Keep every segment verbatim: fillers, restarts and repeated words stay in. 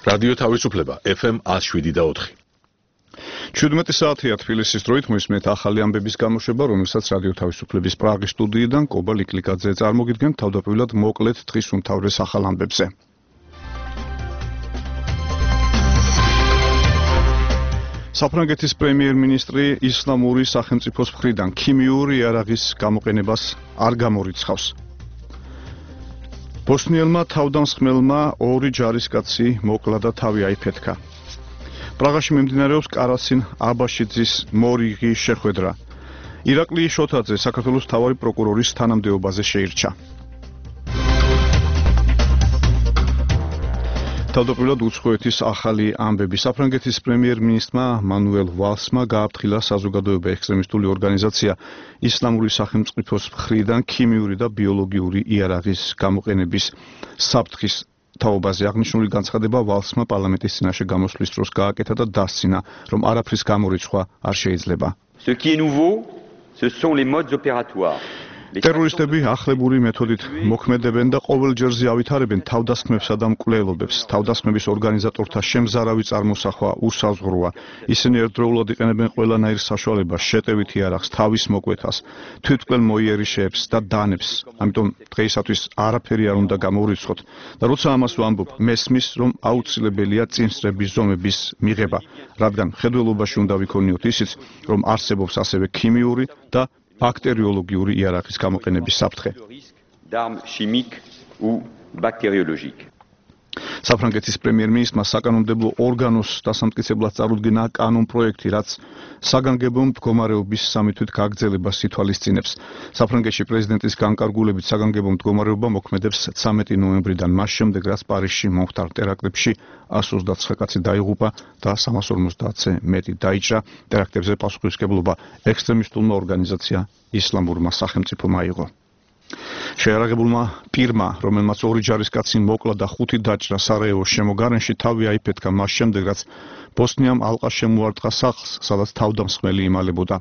რადიო თავისუფლება ეფ ემ ნული შვიდი და ოთხი. ჩვიდმეტი საათია თბილისის დროით მოისმენთ ახალი ამბების გამოშვება, რომელსაც რადიო თავისუფლების პრაღის სტუდიიდან კობა ლიკლიკაძე წარმოგიდგენთ თავდაპირველად მოკლედ დღის უმთავრეს ახალ ამბებზე. საფრანგეთის პრემიერ-მინისტრი ისლამური სახელმწიფოს მხრიდან ქიმიური იარაღის გამოყენებას არ გამორიცხავს. ბოსნიელმა თავდამსხმელმა ორი ჯარისკაცი მოკლა და თავი აიფეთქა. პრაღაში მიმდინარეობს კარასინ აბაშიძის მორიგი შეხვედრა. ირაკლი შოთაძე საქართველოს მთავარი პროკურორის თანამდებობაზე შეირჩა. თავდაპირველად უცხოეთის ახალი ამბები. საფრანგეთის პრემიერ-მინისტრმა მანუელ ვალსმა გააფრთხილა საზოგადოება ექსტრემისტული ორგანიზაცია ისლამური სახელმწიფოს მხრიდან ქიმიური და ბიოლოგიური იარაღის გამოყენების საფრთხის თაობაზე. აღნიშნული განცხადება ვალსმა პარლამენტის წინაშე გამოსვლის დროს გააკეთა და დასცინა, რომ არაფრის გამორიცხვა არ შეიძლება. Ce qui est nouveau, ce sont les modes opératoires. ტერორისტები ახლებური მეთოდით მოქმედებენ და ყოველ ჯერზე ავითარებენ თავდასხმებსა და მკვლელობებს. თავდასხმების ორგანიზატორთა შემზარავი წარმოსახვა უსაზღვროა. ისინი ერთდროულად იყენებენ ყველანაირ საშუალებას, შეტევით იარაღს, თავის მოკვეთას, თვითმკვლელ მოიერიშეებს და დანებს. ამიტომ დღეისათვის არაფერი არ უნდა გამოვრიცხოთ და როცა ამას ვამბობ, მესმის, რომ აუცილებელია წინსწრების ზომების მიღება, რადგან მხედველობაში უნდა ვიქონიოთ ისიც, რომ არსებობს ასევე ქიმიური და ბაქტერიოლოგიური იარაღის გამოყენების საფრთხე. საფრანგეთის პრემიერ-მინისტრმა საკანონმდებლო ორგანოს დასამტკიცებლად წარუდგინა კანონპროექტი, რაც საგანგებო მდგომარეობის სამითვით გაგრძელებას ითვალისწინებს. საფრანგეთში პრეზიდენტის განკარგულებით საგანგებო მდგომარეობა მოქმედებს ცამეტი ნოემბრიდან, მას შემდეგ, რაც პარიზში მომხდარ ტერაქტებში εκατს ოცდაცხრა კაცი დაიღუპა და სამას ორმოცდაათზე მეტი დაიჭრა. ტერაქტებზე პასუხისმგებლობა ექსტრემისტულმა ორგანიზაცია ისლამურმა სახელმწიფომ აიღო. შეიარაღებულმა პირმა, რომელმაც ორი ჯარისკაცი მოკლა და ხუთი დაჭრა სარაევოს შემოგარენში, თავი აიფეთქა მას შემდეგ, რაც ბოსნიამ ალყა შემოარტყა სახლს, სადაც თავდამსხმელი იმალებოდა.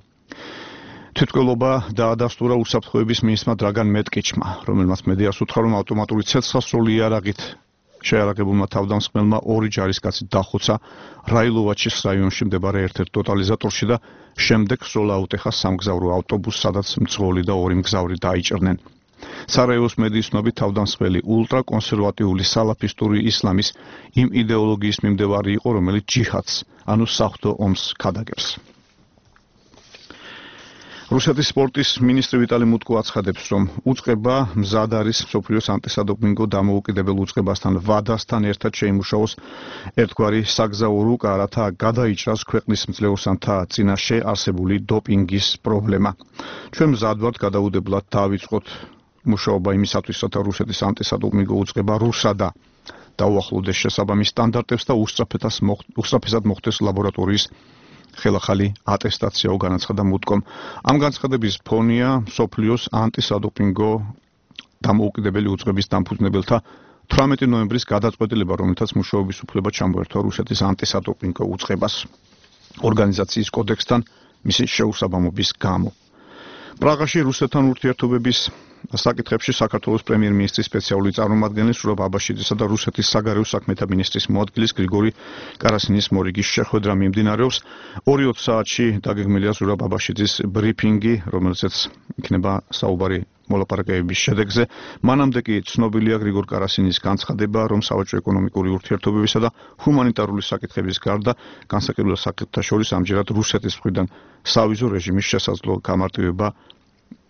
თვითმკვლელობა დაადასტურა უსაფრთხოების მინისტრმა დრაგან მეტკიჩმა, რომელმაც მედიას უთხრა, რომ ავტომატური ცეცხლსასროლი იარაღით შეიარაღებულმა თავდამსხმელმა ორი ჯარისკაცი დახოცა რაილოვაჩის რაიონში მდებარე ერთ-ერთ ტოტალიზატორში და შემდეგ სროლა აუტეხა სამგზავრო ავტობუსს, სადაც მძღოლი და ორი მგზავრი დაიჭრნენ. სარაევოს მედიის ცნობით თავდამსხმელი ულტრაკონსერვატიული სალაფისტური ისლამის იმ იდეოლოგიის მიმდევარი იყო, რომელიც ჯიჰადს, ანუ საღვთო ომს ქადაგებს. რუსეთის სპორტის მინისტრი ვიტალი მუტკო აცხადებს, რომ უწყება მზად არის მსოფლიოს ანტისადოპინგო დამოუკიდებელ უწყებასთან ვადასთან ერთად შეიმუშაოს ერთგვარი საგზაო რუკა, რათა გადაიჭრას ქვეყნის მძლეოსანთა წინაშე არსებული დოპინგის პრობლემა. ჩვენ მზად ვართ გადაუდებლად დავიწყოთ მუშაობა იმისათვის, რათა რუსეთის ანტისადოპინგო უწყება რუსადა დაუახლოვდეს შესაბამის სტანდარტებს და უსწრაფესად მოხდეს ლაბორატორიის ხელახალი ატესტაციაო, განაცხადა მუტკომ. ამ განცხადების ფონია მსოფლიოს ანტისადოპინგო დამოუკიდებელი უწყების დამფუძნებელთა თვრამეტი ნოემბრის გადაწყვეტილება, რომელთაც მუშაობის უფლება ჩამოერთვა რუსეთის ანტისადოპინგო უწყებას ორგანიზაციის კოდექსთან მისი შეუსაბამობის გამო. პრაღაში რუსეთთან ურთიერთობების საკითხებში საქართველოს პრემიერ-მინისტრის სპეციალური წარმომადგენელი სურაბ აბაშიძისა და რუსეთის საგარეო საქმეთა მინისტრის მოადგილის გრიგორი კარასინის მორიგის შეხვედრა მიმდინარეობს. ორი ოცდაათი საათში დაგეგმილია სურაბ აბაშიძის ბრიფინგი, რომელზეც იქნება საუბარი მოლაპარაკებების შედეგზე. მანამდე კი ცნობილია გრიგორ კარასინის განცხადება, რომ სავაჭრო ეკონომიკური ურთიერთობებისა და ჰუმანიტარული საკითხების გარდა განსაკუთრებულ საკითხთა შორის ამჯერად რუსეთის მხრიდან სავიზო რეჟიმის შესაძლო გამარტივება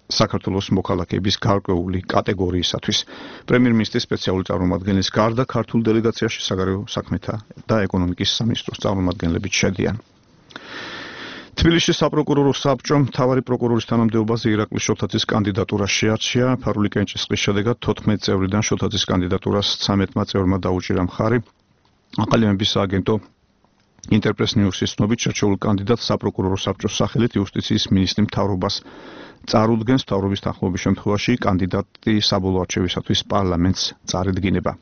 საქართველოს მოქალაქეების გარკვეული კატეგორიისათვის. პრემიერ-მინისტრის სპეციალური წარმომადგენლის გარდა ქართულ დელეგაციაში საგარეო საქმეთა და ეკონომიკის სამინისტროს წარმომადგენლებიც შედიან. თბილისში საპროკურორო საბჭომ მთავარი პროკურორის თანამდებობაზე ირაკლი შოთაძის კანდიდატურა შეარჩია. ფარული კენჭისყრის შედეგად თოთხმეტი წევრიდან შოთაძის კანდიდატურას ცამეტმა წევრმა დაუჭირა მხარი. აყალიბების სააგენტო ინტერპრეს ნიუსის ცნობით შერჩეულ კანდიდატს საპროკურორო საბჭოს სახელით იუსტიციის მინისტრი მთავრობას წარუდგენს. მთავრობის თანხმობის შემთხვევაში კანდიდატი საბოლოო არჩევისათვის პარლამენტს წარედგინება.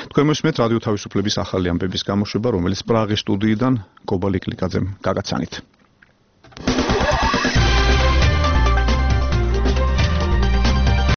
თქვენ მოსმენთ რადიო თავისუფლების ახალი ამბების გამოშვება, რომელიც პრაღის სტუდიიდან კობა ლიკლიკაძემ გაგაცანით.